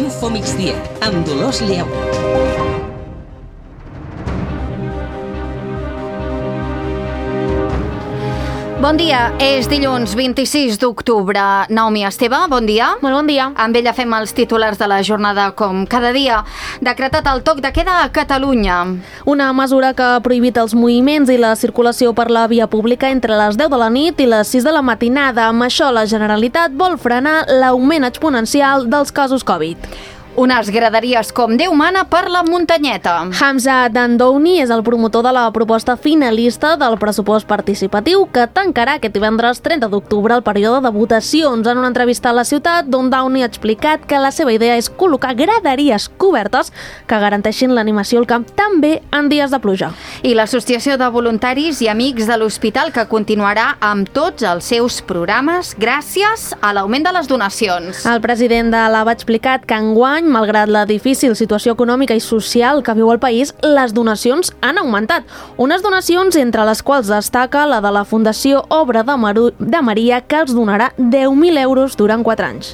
Info Migdia, amb Dolors Lleu. Bon dia, és dilluns 26 d'octubre. Naomi Esteve, bon dia. Molt bon dia. Amb ella fem els titulars de la jornada com cada dia. Decretat el toc de queda a Catalunya. Una mesura que ha prohibit els moviments i la circulació per la via pública entre les 10 de la nit i les 6 de la matinada. Amb això, la Generalitat vol frenar l'augment exponencial dels casos Covid. Unes graderies com Déu mana per la muntanyeta. Hamza Dandouni és el promotor de la proposta finalista del pressupost participatiu que tancarà aquest divendres 30 d'octubre el període de votacions. En una entrevista a La Ciutat, Dandouni ha explicat que la seva idea és col·locar graderies cobertes que garanteixin l'animació al camp també en dies de pluja. I l'Associació de Voluntaris i Amics de l'Hospital, que continuarà amb tots els seus programes gràcies a l'augment de les donacions. El president de l'AVA ha explicat que enguany, malgrat la difícil situació econòmica i social que viu el país, les donacions han augmentat. Unes donacions entre les quals destaca la de la Fundació Obra de Maria, que els donarà 10.000 euros durant 4 anys.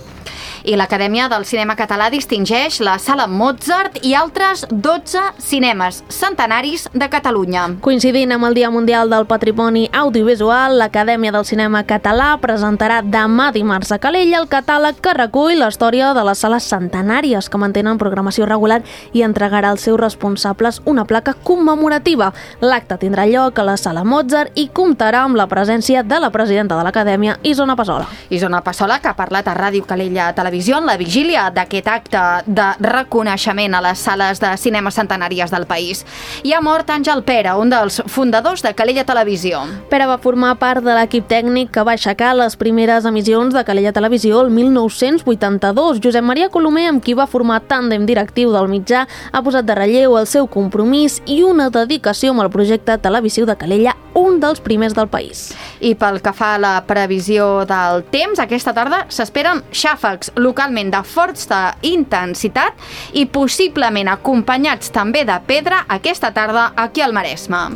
I l'Acadèmia del Cinema Català distingeix la Sala Mozart i altres 12 cinemes centenaris de Catalunya. Coincidint amb el Dia Mundial del Patrimoni Audiovisual, l'Acadèmia del Cinema Català presentarà demà dimarts a Calella el catàleg que recull la història de les sales centenàries que mantenen programació regular i entregarà als seus responsables una placa commemorativa. L'acte tindrà lloc a la Sala Mozart i comptarà amb la presència de la presidenta de l'Acadèmia, Isona Passola. Isona Passola, que ha parlat a Ràdio Calella Televisió en la vigília d'aquest acte de reconeixement a les sales de cinema centenàries del país. I ha mort Àngel Pera, un dels fundadors de Calella Televisió. Pera va formar part de l'equip tècnic que va aixecar les primeres emissions de Calella Televisió el 1982. Josep Maria Colomer, amb qui va formar tàndem directiu del mitjà, ha posat de relleu el seu compromís i una dedicació amb el projecte televisiu de Calella, un dels primers del país. I pel que fa a la previsió del temps, aquesta tarda s'esperen xàfecs localment de forta intensitat i possiblement acompanyats també de pedra aquesta tarda aquí al Maresme.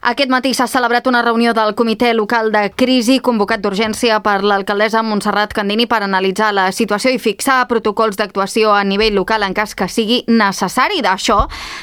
Aquest matí s'ha celebrat una reunió del Comitè Local de Crisi convocat d'urgència per l'alcaldessa Montserrat Candini per analitzar la situació i fixar protocols d'actuació a nivell local en cas que sigui necessari. D'això,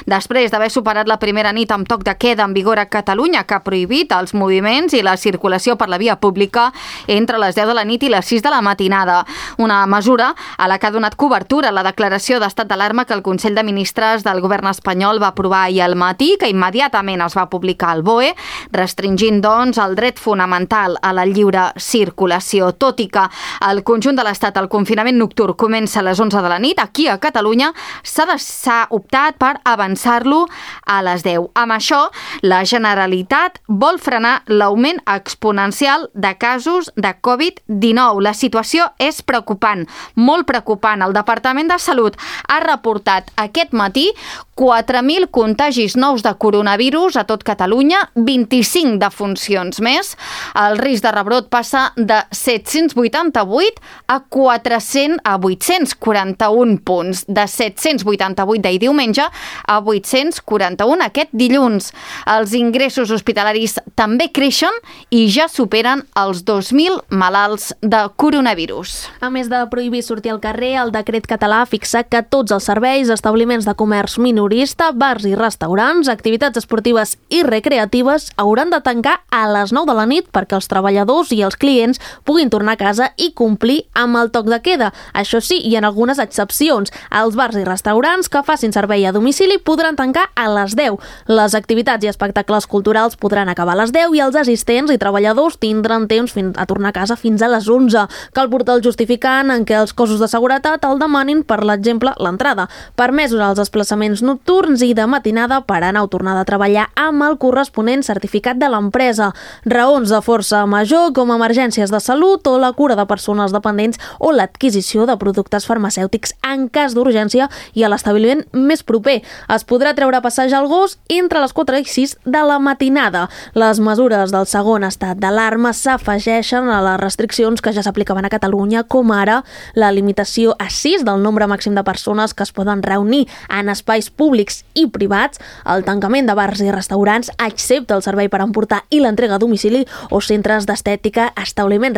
després d'haver superat la primera nit amb toc de queda en vigor a Catalunya, que ha prohibit els moviments i la circulació per la via pública entre les 10 de la nit i les 6 de la matinada. Una mesura a la que ha donat cobertura la declaració d'estat d'alarma que el Consell de Ministres del govern espanyol va aprovar ahir al matí, que immediatament es va publicar al BOE, restringint, doncs, el dret fonamental a la lliure circulació. Tot i que al conjunt de l'Estat el confinament nocturn comença a les 11 de la nit, aquí a Catalunya s'ha optat per avançar-lo a les 10. Amb això, la Generalitat vol frenar l'augment exponencial de casos de Covid-19. La situació és preocupant, molt preocupant. El Departament de Salut ha reportat aquest matí 4.000 contagis nous de coronavirus a tot Catalunya, 25 defuncions més. El risc de rebrot passa de 788 a 841 punts. De 788 d'ahir diumenge a 841 aquest dilluns. Els ingressos hospitalaris també creixen i ja superen els 2.000 malalts de coronavirus. A més de prohibir sortir al carrer, el decret català fixa que tots els serveis, establiments de comerç minorista, bars i restaurants, activitats esportives i recreatives hauran de tancar a les 9 de la nit perquè els treballadors i els clients puguin tornar a casa i complir amb el toc de queda. Això sí, hi ha algunes excepcions. Els bars i restaurants que facin servei a domicili podran tancar a les 10. Les activitats i espectacles culturals podran acabar a les 10 i els assistents i treballadors tindran temps a tornar a casa fins a les 11. Cal portar el justificant en què els cossos de seguretat el demanin, per l'exemple, l'entrada. Permesos els desplaçaments nocturns i de matinada per anar o tornar de treballar amb el corresponent certificat de l'empresa. Raons de força major com emergències de salut o la cura de persones dependents o l'adquisició de productes farmacèutics en cas d'urgència i a l'establiment més proper. Es podrà treure a passejar el gos entre les 4 i 6 de la matinada. Les mesures del segon estat d'alarma s'afegeixen a les restriccions que ja s'aplicaven a Catalunya, com ara la limitació a 6 del nombre màxim de persones que es poden reunir en espais públics i privats, el tancament de bars i restaurants, excepte el servei per emportar i l'entrega a domicili, o centres d'estètica, establiments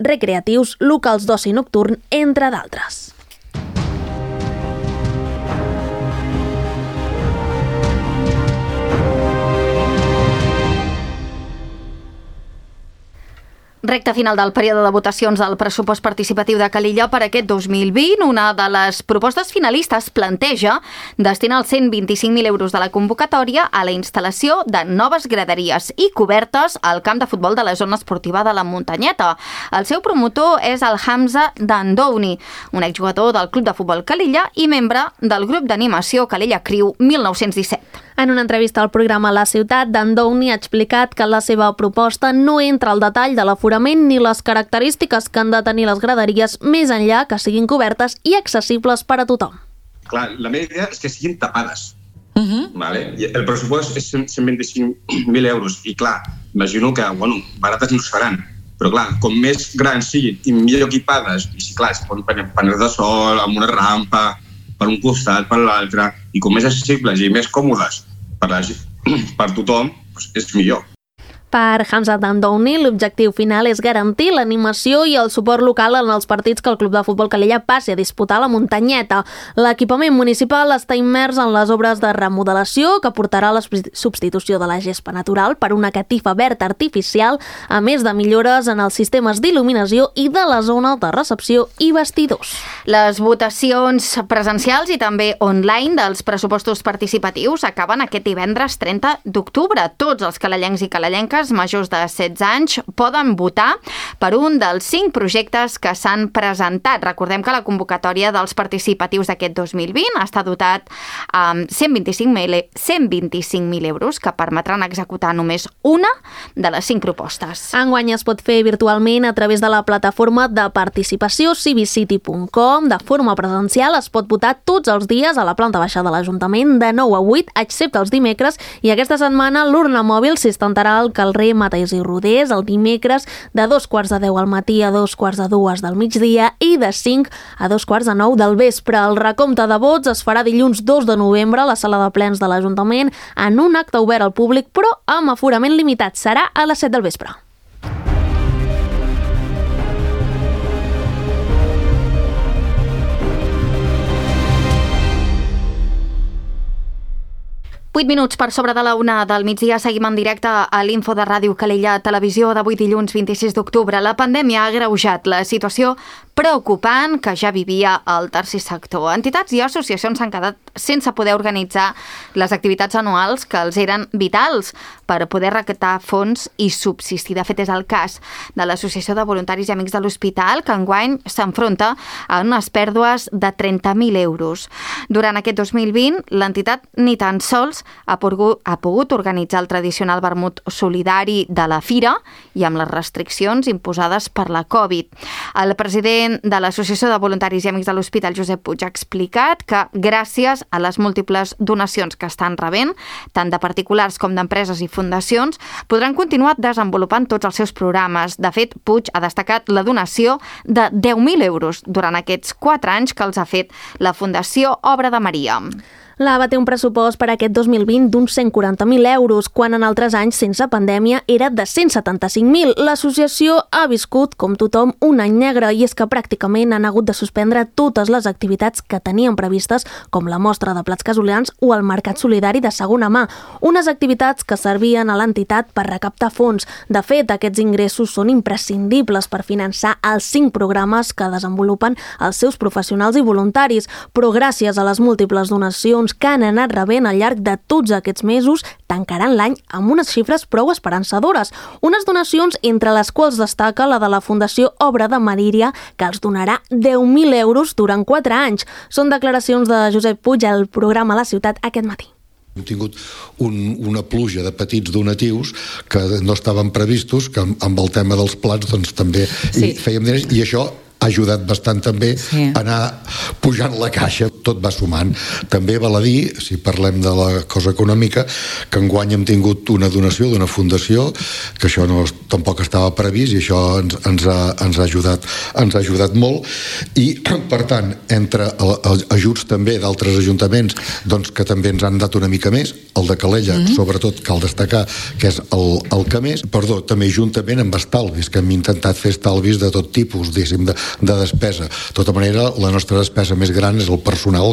recreatius, locals d'oci nocturn, entre d'altres. Recte final del període de votacions del pressupost participatiu de Calella per aquest 2020. Una de les propostes finalistes planteja destinar els 125.000 euros de la convocatòria a la instal·lació de noves graderies i cobertes al camp de futbol de la zona esportiva de la Muntanyeta. El seu promotor és el Hamza Dandouni, un exjugador del Club de Futbol Calella i membre del grup d'animació Calella Crew 1917. En una entrevista al programa La Ciutat, Dandouni ha explicat que la seva proposta no entra al detall de l'aforament ni les característiques que han de tenir les graderies més enllà que siguin cobertes i accessibles per a tothom. Clar, la meva idea és que siguin tapades. Vale? El pressupost és 125.000 euros i clar, imagino que barates no seran, però clar, com més grans siguin i millor equipades, i sí, clar, es poden paners de sol, amb una rampa, per un costat, per l'altre, i com més accessibles i més còmodes per tothom, doncs és millor. Per Hamza Dandouni, l'objectiu final és garantir l'animació i el suport local en els partits que el Club de Futbol Calella passi a disputar a la Muntanyeta. L'equipament municipal està immers en les obres de remodelació que portarà a la substitució de la gespa natural per una catifa verda artificial, a més de millores en els sistemes d'il·luminació i de la zona de recepció i vestidors. Les votacions presencials i també online dels pressupostos participatius acaben aquest divendres 30 d'octubre. Tots els calellencs i calellenques majors de 16 anys poden votar per un dels 5 projectes que s'han presentat. Recordem que la convocatòria dels participatius d'aquest 2020 està dotat amb 125.000 euros que permetran executar només una de les 5 propostes. Enguany es pot fer virtualment a través de la plataforma de participació civicity.com. De forma presencial es pot votar tots els dies a la planta baixa de l'Ajuntament de 9 a 8, excepte els dimecres, i aquesta setmana l'urna mòbil s'instalarà al carrer Matés i Rodés el dimecres de 2:15 al matí a 2:45 del migdia i de 5 a 8:45 del vespre. El recompte de vots es farà dilluns 2 de novembre a la sala de plens de l'Ajuntament en un acte obert al públic, però amb aforament limitat. Serà a les 7 del vespre. Vuit minuts per sobre de la 1 del migdia. Seguim en directe a l'Info de Ràdio Calella Televisió d'avui dilluns 26 d'octubre. La pandèmia ha agreujat la situació preocupant que ja vivia el tercer sector. Entitats i associacions s'han quedat sense poder organitzar les activitats anuals que els eren vitals per poder recaptar fons i subsistir. De fet, és el cas de l'Associació de Voluntaris i Amics de l'Hospital, que enguany s'enfronta a unes pèrdues de 30.000 euros. Durant aquest 2020, l'entitat ni tan sols ha pogut organitzar el tradicional vermut solidari de la fira i amb les restriccions imposades per la Covid. El president de l'Associació de Voluntaris i Amics de l'Hospital, Josep Puig, ha explicat que gràcies a les múltiples donacions que estan rebent, tant de particulars com d'empreses i fundacions, podran continuar desenvolupant tots els seus programes. De fet, Puig ha destacat la donació de 10.000 euros durant aquests 4 anys que els ha fet la Fundació Obra de Maria. L'AVA té un pressupost per aquest 2020 d'uns 140.000 euros, quan en altres anys sense pandèmia era de 175.000. L'associació ha viscut, com tothom, un any negre, i és que pràcticament han hagut de suspendre totes les activitats que tenien previstes, com la mostra de plats casolans o el mercat solidari de segona mà, unes activitats que servien a l'entitat per recaptar fons. De fet, aquests ingressos són imprescindibles per finançar els 5 programes que desenvolupen els seus professionals i voluntaris, però gràcies a les múltiples donacions que han anat rebent al llarg de tots aquests mesos, tancaran l'any amb unes xifres prou esperançadores. Unes donacions entre les quals destaca la de la Fundació Obra de Maria, que els donarà 10.000 euros durant 4 anys. Són declaracions de Josep Puig al programa La Ciutat aquest matí. Hem tingut una pluja de petits donatius que no estaven previstos, que amb el tema dels plats doncs, també fèiem diners, i això ha ajudat bastant també anar pujant la caixa, tot va sumant. També val a dir, si parlem de la cosa econòmica, que enguany hem tingut una donació d'una fundació, que això tampoc estava previst i això ens ha ajudat molt, i per tant, entre ajuts també d'altres ajuntaments doncs, que també ens han dat una mica més, el de Calella, sobretot cal destacar que és el que més, també juntament amb estalvis, que hem intentat fer estalvis de tot tipus, diguéssim, de despesa. De tota manera, la nostra despesa més gran és el personal.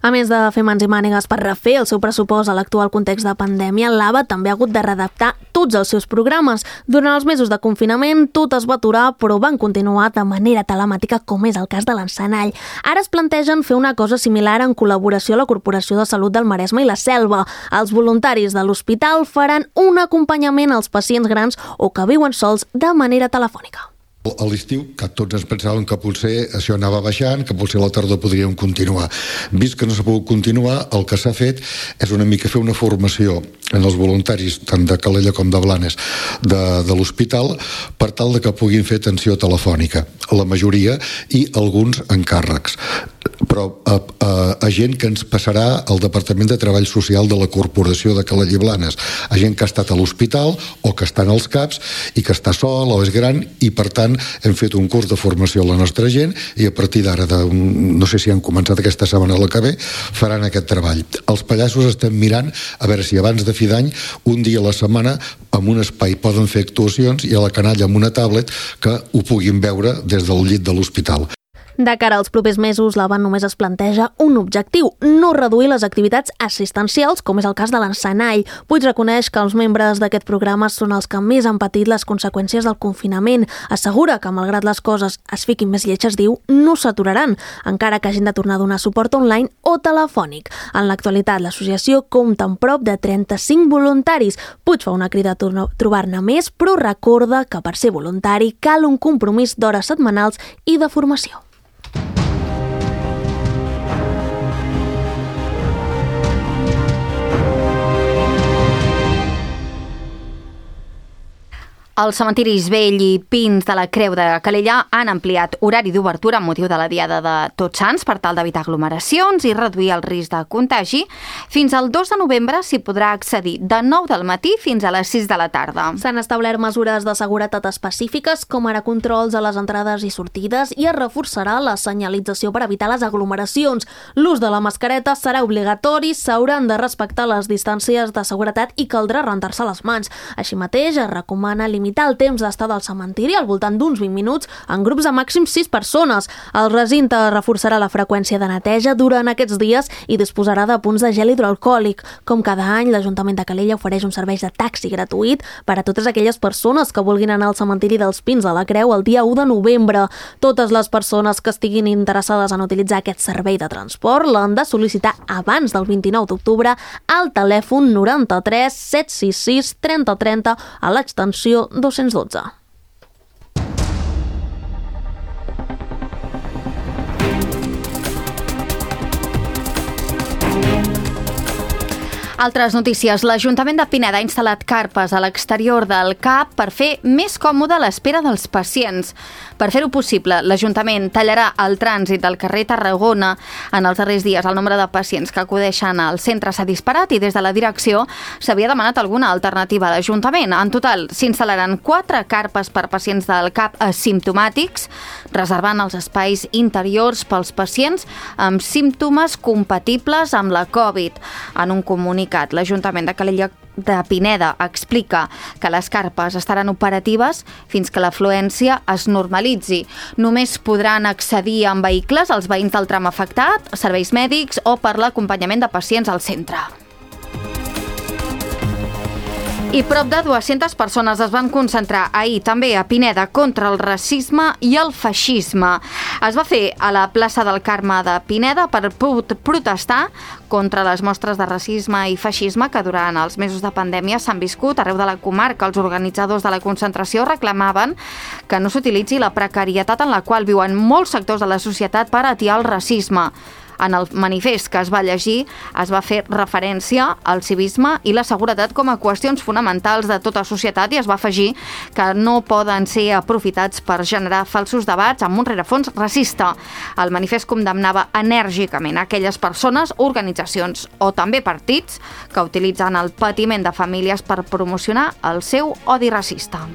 A més de fer mans i mànigues per refer el seu pressupost a l'actual context de pandèmia, l'AVA també ha hagut de readaptar tots els seus programes. Durant els mesos de confinament tot es va aturar, però van continuar de manera telemàtica, com és el cas de l'Encenall. Ara es plantegen fer una cosa similar en col·laboració a la Corporació de Salut del Maresme i la Selva. Els voluntaris de l'hospital faran un acompanyament als pacients grans o que viuen sols de manera telefònica. A l'estiu, que tots ens pensàvem que potser això anava baixant, que potser a la tardor podríem continuar. Vist que no s'ha pogut continuar, el que s'ha fet és una mica fer una formació en els voluntaris, tant de Calella com de Blanes, de l'hospital, per tal de que puguin fer atenció telefònica, la majoria, i alguns encàrrecs. Però a gent que ens passarà al Departament de Treball Social de la Corporació de Calella i Blanes, a gent que ha estat a l'hospital o que està en els CAPs i que està sol o és gran, i per tant hem fet un curs de formació a la nostra gent i a partir d'ara, no sé si han començat aquesta setmana o la que ve, faran aquest treball. Els pallassos estem mirant a veure si abans de fi d'any, un dia a la setmana, en un espai poden fer actuacions i a la canalla amb una tablet que ho puguin veure des del llit de l'hospital. De cara als propers mesos, l'AVA només es planteja un objectiu, no reduir les activitats assistencials, com és el cas de l'Encenall. Puig reconeix que els membres d'aquest programa són els que més han patit les conseqüències del confinament. Assegura que, malgrat les coses es fiquin més lletges, diu, no s'aturaran, encara que hagin de tornar a donar suport online o telefònic. En l'actualitat, l'associació compta amb prop de 35 voluntaris. Puig fa una crida a trobar-ne més, però recorda que per ser voluntari cal un compromís d'hores setmanals i de formació. Els cementiris Vell i Pins de la Creu de Calella han ampliat horari d'obertura amb motiu de la Diada de Tots Sants per tal d'evitar aglomeracions i reduir el risc de contagi. Fins al 2 de novembre s'hi podrà accedir de 9 del matí fins a les 6 de la tarda. S'han establert mesures de seguretat específiques, com ara controls a les entrades i sortides, i es reforçarà la senyalització per evitar les aglomeracions. L'ús de la mascareta serà obligatori, s'hauran de respectar les distàncies de seguretat i caldrà rentar-se les mans. Així mateix, es recomana limitar el temps d'estar del cementiri al voltant d'uns 20 minuts en grups de màxim 6 persones. El recinte reforçarà la freqüència de neteja durant aquests dies i disposarà de punts de gel hidroalcohòlic. Com cada any, l'Ajuntament de Calella ofereix un servei de taxi gratuït per a totes aquelles persones que vulguin anar al cementiri dels Pins de la Creu el dia 1 de novembre. Totes les persones que estiguin interessades en utilitzar aquest servei de transport l'han de sol·licitar abans del 29 d'octubre al telèfon 93 766 30 30 a l'extensió 212. Altres notícies. L'Ajuntament de Pineda ha instal·lat carpes a l'exterior del CAP per fer més còmode l'espera dels pacients. Per fer-ho possible, l'Ajuntament tallarà el trànsit del carrer Tarragona. En els darrers dies, el nombre de pacients que acudeixen al centre s'ha disparat i des de la direcció s'havia demanat alguna alternativa a l'Ajuntament. En total, s'instal·laran 4 carpes per pacients del CAP asimptomàtics, reservant els espais interiors pels pacients amb símptomes compatibles amb la Covid. En un comunicat, l'Ajuntament de Calella de Pineda explica que les carpes estaran operatives fins que l'afluència es normalitzi. Només podran accedir amb vehicles els veïns del tram afectat, serveis mèdics o per l'acompanyament de pacients al centre. I prop de 200 persones es van concentrar ahir també a Pineda contra el racisme i el feixisme. Es va fer a la plaça del Carme de Pineda per protestar contra les mostres de racisme i feixisme que durant els mesos de pandèmia s'han viscut arreu de la comarca. Els organitzadors de la concentració reclamaven que no s'utilitzi la precarietat en la qual viuen molts sectors de la societat per atiar el racisme. En el manifest que es va llegir es va fer referència al civisme i la seguretat com a qüestions fonamentals de tota societat i es va afegir que no poden ser aprofitats per generar falsos debats amb un rerefons racista. El manifest condemnava enèrgicament aquelles persones, organitzacions o també partits que utilitzen el patiment de famílies per promocionar el seu odi racista.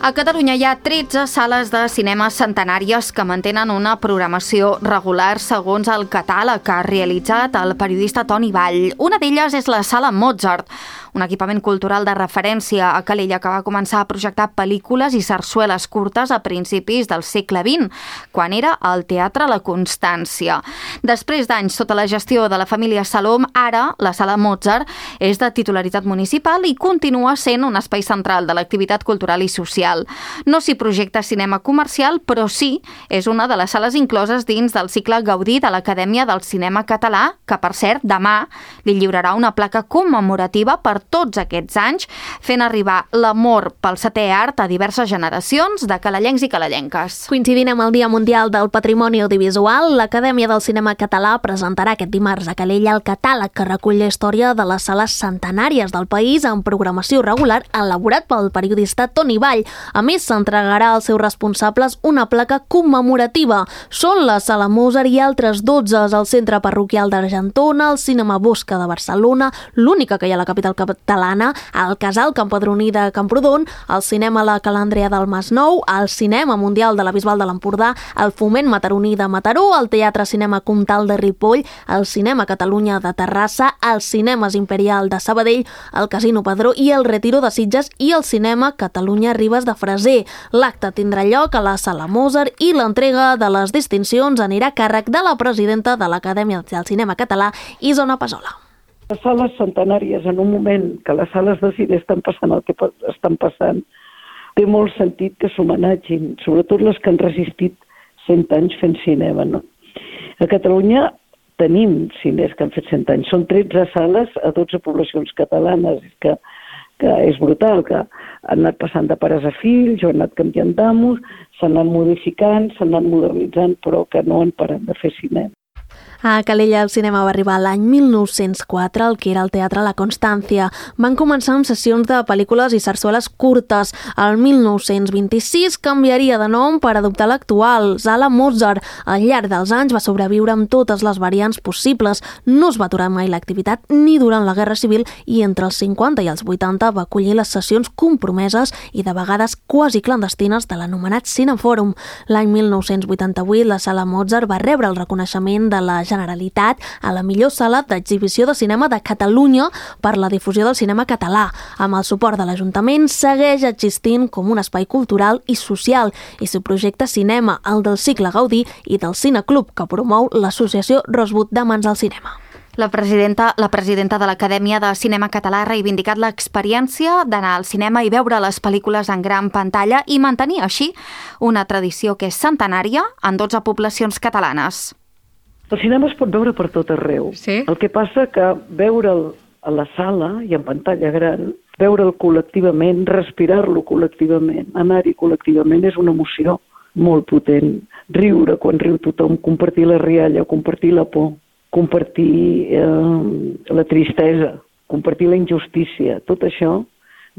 A Catalunya hi ha 13 sales de cinema centenàries que mantenen una programació regular segons el catàleg que ha realitzat el periodista Toni Vall. Una d'elles és la Sala Mozart, un equipament cultural de referència a Calella que va començar a projectar pel·lícules i sarsueles curtes a principis del segle XX, quan era el Teatre La Constància. Després d'anys sota la gestió de la família Salom, ara la Sala Mozart és de titularitat municipal i continua sent un espai central de l'activitat cultural i social. No s'hi projecta cinema comercial, però sí és una de les sales incloses dins del cicle Gaudí de l'Acadèmia del Cinema Català, que, per cert, demà li lliurarà una placa commemorativa per tots aquests anys, fent arribar l'amor pel setè art a diverses generacions de calellencs i calellenques. Coincidint amb el Dia Mundial del Patrimoni Audiovisual, l'Acadèmia del Cinema Català presentarà aquest dimarts a Calella el catàleg que recull la història de les sales centenàries del país en programació regular elaborat pel periodista Toni Vall. A més, s'entregarà als seus responsables una placa commemorativa. Són la Sala Mozart i altres 12 al Centre Parroquial d'Argentona, el Cinema Bosca de Barcelona, l'única que hi ha a la capital catalana, el Casal Campadroní de Camprodon, el Cinema La Calàndria del Masnou, el Cinema Mundial de la Bisbal de l'Empordà, el Foment Mataroní de Mataró, el Teatre Cinema Comtal de Ripoll, el Cinema Catalunya de Terrassa, el Cinemes Imperial de Sabadell, el Casino Padró i el Retiro de Sitges i el Cinema Catalunya Ribes de Freser. L'acte tindrà lloc a la Sala Mozart i l'entrega de les distincions anirà a càrrec de la presidenta de l'Acadèmia del Cinema Català, Isona Pasola. Les sales centenàries, en un moment que les sales de cine estan passant el que estan passant, té molt sentit que s'homenatgin, sobretot les que han resistit 100 anys fent cinema. No? A Catalunya tenim cines que han fet 100 anys. Són 13 sales a 12 poblacions catalanes, que és brutal, que han anat passant de pares a fills, o han anat canviant d'amos, s'han anat modificant, s'han anat modernitzant, però que no han parat de fer cinema. A Calella el cinema va arribar l'any 1904, el que era el Teatre La Constància. Van començar amb sessions de pel·lícules i sarsueles curtes. El 1926 canviaria de nom per adoptar l'actual, Sala Mozart. Al llarg dels anys va sobreviure amb totes les variants possibles. No es va aturar mai l'activitat ni durant la Guerra Civil i entre els 50 i els 80 va acollir les sessions compromeses i de vegades quasi clandestines de l'anomenat Cinefòrum. L'any 1988 la Sala Mozart va rebre el reconeixement de la Generalitat a la millor sala d'exhibició de cinema de Catalunya per la difusió del cinema català. Amb el suport de l'Ajuntament segueix existint com un espai cultural i social i s'hi projecta cinema, el del cicle Gaudí i del Cineclub que promou l'associació Rosbud d'Amants del Cinema. La presidenta de l'Acadèmia de Cinema Català ha reivindicat l'experiència d'anar al cinema i veure les pel·lícules en gran pantalla i mantenir així una tradició que és centenària en 12 poblacions catalanes. El cinema es pot veure per tot arreu. Sí? El que passa que veure'l a la sala i en pantalla gran, veure'l col·lectivament, respirar-lo col·lectivament, anar-hi col·lectivament és una emoció molt potent. Riure quan riu tothom, compartir la rialla, compartir la por, compartir la tristesa, compartir la injustícia, tot això,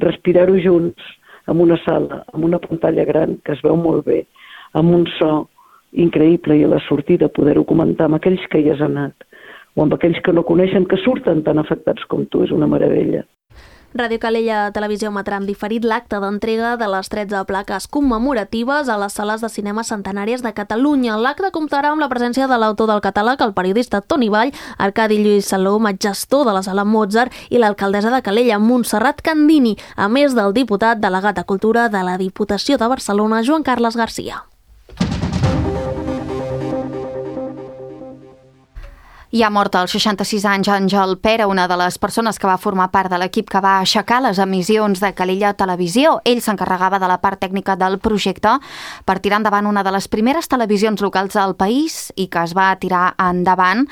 respirar-ho junts en una sala, en una pantalla gran que es veu molt bé, amb un so increïble i a la sortida poder-ho comentar amb aquells que hi has anat o amb aquells que no coneixen, que surten tan afectats com tu, és una meravella. Ràdio Calella Televisió emetrà en diferit l'acte d'entrega de les 13 plaques commemoratives a les sales de cinema centenàries de Catalunya. L'acte comptarà amb la presència de l'autor del catàleg, el periodista Toni Vall, Arcadi Lluís Salom, gestor de la Sala Mozart, i l'alcaldessa de Calella, Montserrat Candini, a més del diputat delegat de Cultura de la Diputació de Barcelona, Joan Carles Garcia. I ha mort als 66 anys Àngel Pera, una de les persones que va formar part de l'equip que va aixecar les emissions de Calella Televisió. Ell s'encarregava de la part tècnica del projecte per tirar endavant una de les primeres televisions locals del país i que es va tirar endavant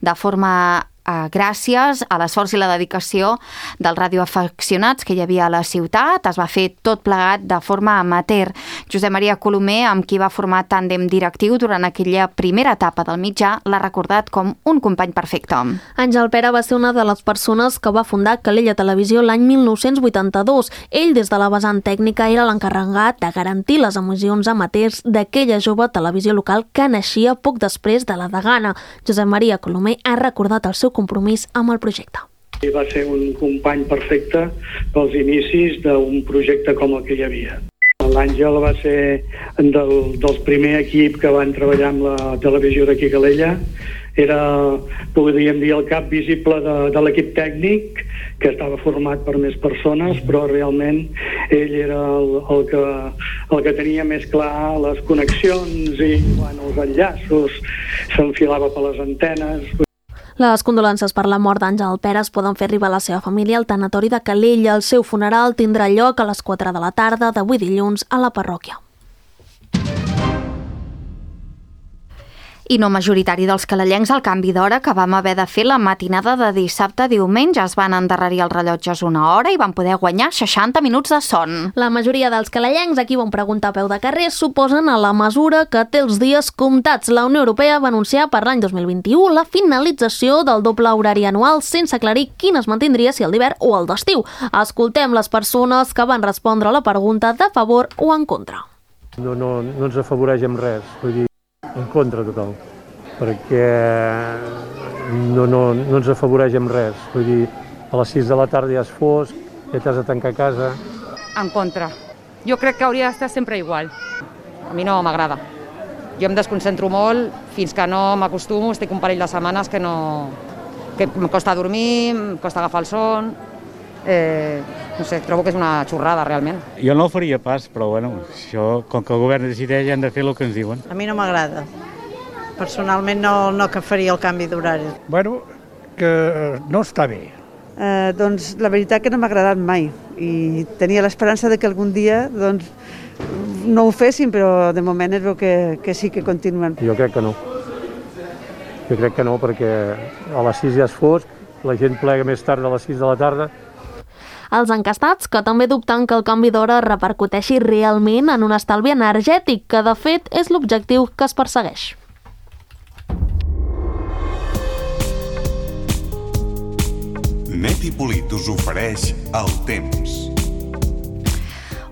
de forma gràcies a l'esforç i la dedicació dels radioaficionats que hi havia a la ciutat. Es va fer tot plegat de forma amateur. Josep Maria Colomer, amb qui va formar tàndem directiu durant aquella primera etapa del mitjà, l'ha recordat com un company perfecte. Àngel Pera va ser una de les persones que va fundar Calella Televisió l'any 1982. Ell, des de la vessant tècnica, era l'encarregat de garantir les emissions amateurs d'aquella jove televisió local que naixia poc després de la Degana. Josep Maria Colomer ha recordat el seu compromís amb el projecte. Va ser un company perfecte pels inicis d'un projecte com el que hi havia. L'Àngel va ser del primer equip que van treballar amb la televisió d'aquí a Calella. Era, podríem dir, el cap visible de l'equip tècnic, que estava format per més persones, però realment ell era el que tenia més clar les connexions i els enllaços, s'enfilava per les antenes. Les condolences per la mort d'Àngel Pera es poden fer arribar a la seva família al tanatori de Calella. El seu funeral tindrà lloc a les 4 de la tarda d'avui dilluns a la parròquia. I no majoritari dels calellencs, el canvi d'hora que vam haver de fer la matinada de dissabte a diumenge. Es van endarrerir els rellotges una hora i van poder guanyar 60 minuts de son. La majoria dels calellencs, a qui vam preguntar a peu de carrer, suposen a la mesura que té els dies comptats. La Unió Europea va anunciar per l'any 2021 la finalització del doble horari anual sense aclarir quin es mantindria, si el d'hivern o el d'estiu. Escoltem les persones que van respondre a la pregunta de favor o en contra. No ens afavoreix amb res, vull dir, en contra total, perquè no ens afavoreix amb res. Vull dir, a les 6 de la tarda ja és fosc, ja t'has de tancar a casa. En contra. Jo crec que hauria d'estar sempre igual. A mi no m'agrada. Jo em desconcentro molt, fins que no m'acostumo, estic un parell de setmanes que em costa dormir, em costa agafar el son. No sé, trobo que és una xorrada, realment. Jo no ho faria pas, però bueno, això, com que el govern decideix, hem de fer el que ens diuen. A mi no m'agrada. Personalment no que faria el canvi d'horari. Bueno, que no està bé. Doncs la veritat que no m'ha agradat mai i tenia l'esperança de que algun dia no ho fessin, però de moment es veu que sí que continuen. Jo crec que no. Jo crec que no, perquè a les 6 ja és fosc, la gent plega més tard a les 6 de la tarda. Els encastats, que també dubten que el canvi d'hora repercuteixi realment en un estalvi energètic, que de fet és l'objectiu que es persegueix. Net i Polit us ofereix el temps.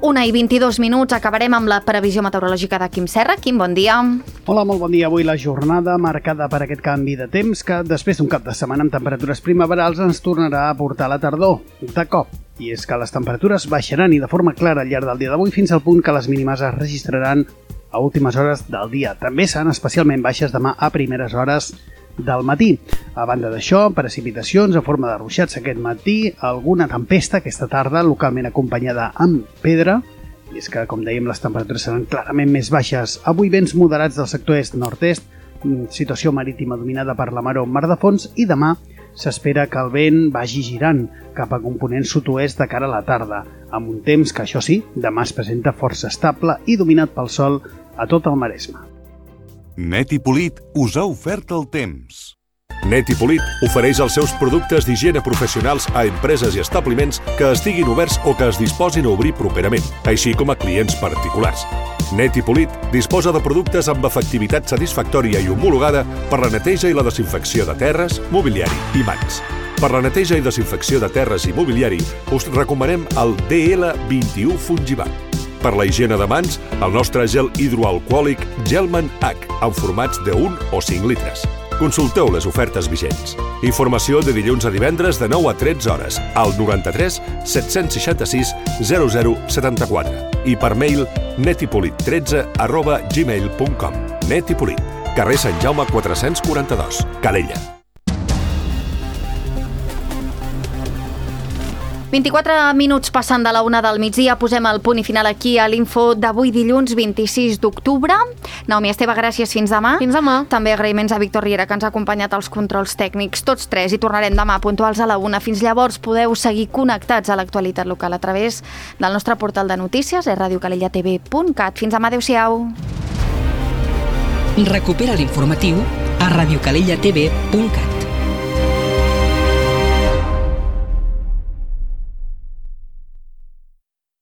1:22, acabarem amb la previsió meteorològica de Quim Serra. Quim, bon dia. Hola, molt bon dia. Avui la jornada marcada per aquest canvi de temps que després d'un cap de setmana amb temperatures primaverals ens tornarà a portar la tardor, de cop. I és que les temperatures baixaran i de forma clara al llarg del dia d'avui fins al punt que les mínimes es registraran a últimes hores del dia. També seran especialment baixes demà a primeres hores del matí. A banda d'això, precipitacions en forma de ruixats aquest matí, alguna tempesta aquesta tarda, localment acompanyada amb pedra, i és que, com dèiem, les temperatures seran clarament més baixes. Avui vents moderats del sector est-nord-est, situació marítima dominada per la maró mar de fons, i demà s'espera que el vent vagi girant cap a component sud-oest de cara a la tarda, amb un temps que, això sí, demà es presenta força estable i dominat pel sol a tot el Maresme. Net i Polit us ha ofert el temps. Net i Polit ofereix els seus productes d'higiene professionals a empreses i establiments que estiguin oberts o que es disposin a obrir properament, així com a clients particulars. Net i Polit disposa de productes amb efectivitat satisfactòria i homologada per la neteja i la desinfecció de terres, mobiliari i mans. Per la neteja i desinfecció de terres i mobiliari us recomanem el DL21 Fungivac. Per la higiene de mans, el nostre gel hidroalcohòlic Gelman H, en formats de 1 o 5 litres. Consulteu les ofertes vigents. Informació de dilluns a divendres de 9 a 13 hores al 93 766 0074 i per mail netipolit13@gmail.com. Net i Polit, carrer Sant Jaume 442, Calella. 24 minuts passant de la 1 del migdia, posem el punt i final aquí a l'info d'avui dilluns 26 d'octubre. Naomi Esteve, gràcies, fins demà. Fins demà. També agraïments a Víctor Riera, que ens ha acompanyat als controls tècnics, tots tres, i tornarem demà puntuals a la 1. Fins llavors podeu seguir connectats a l'actualitat local a través del nostre portal de notícies, radiocalellatv.cat. Fins demà, adeu-siau. Recupera l'informatiu a radiocalellatv.cat.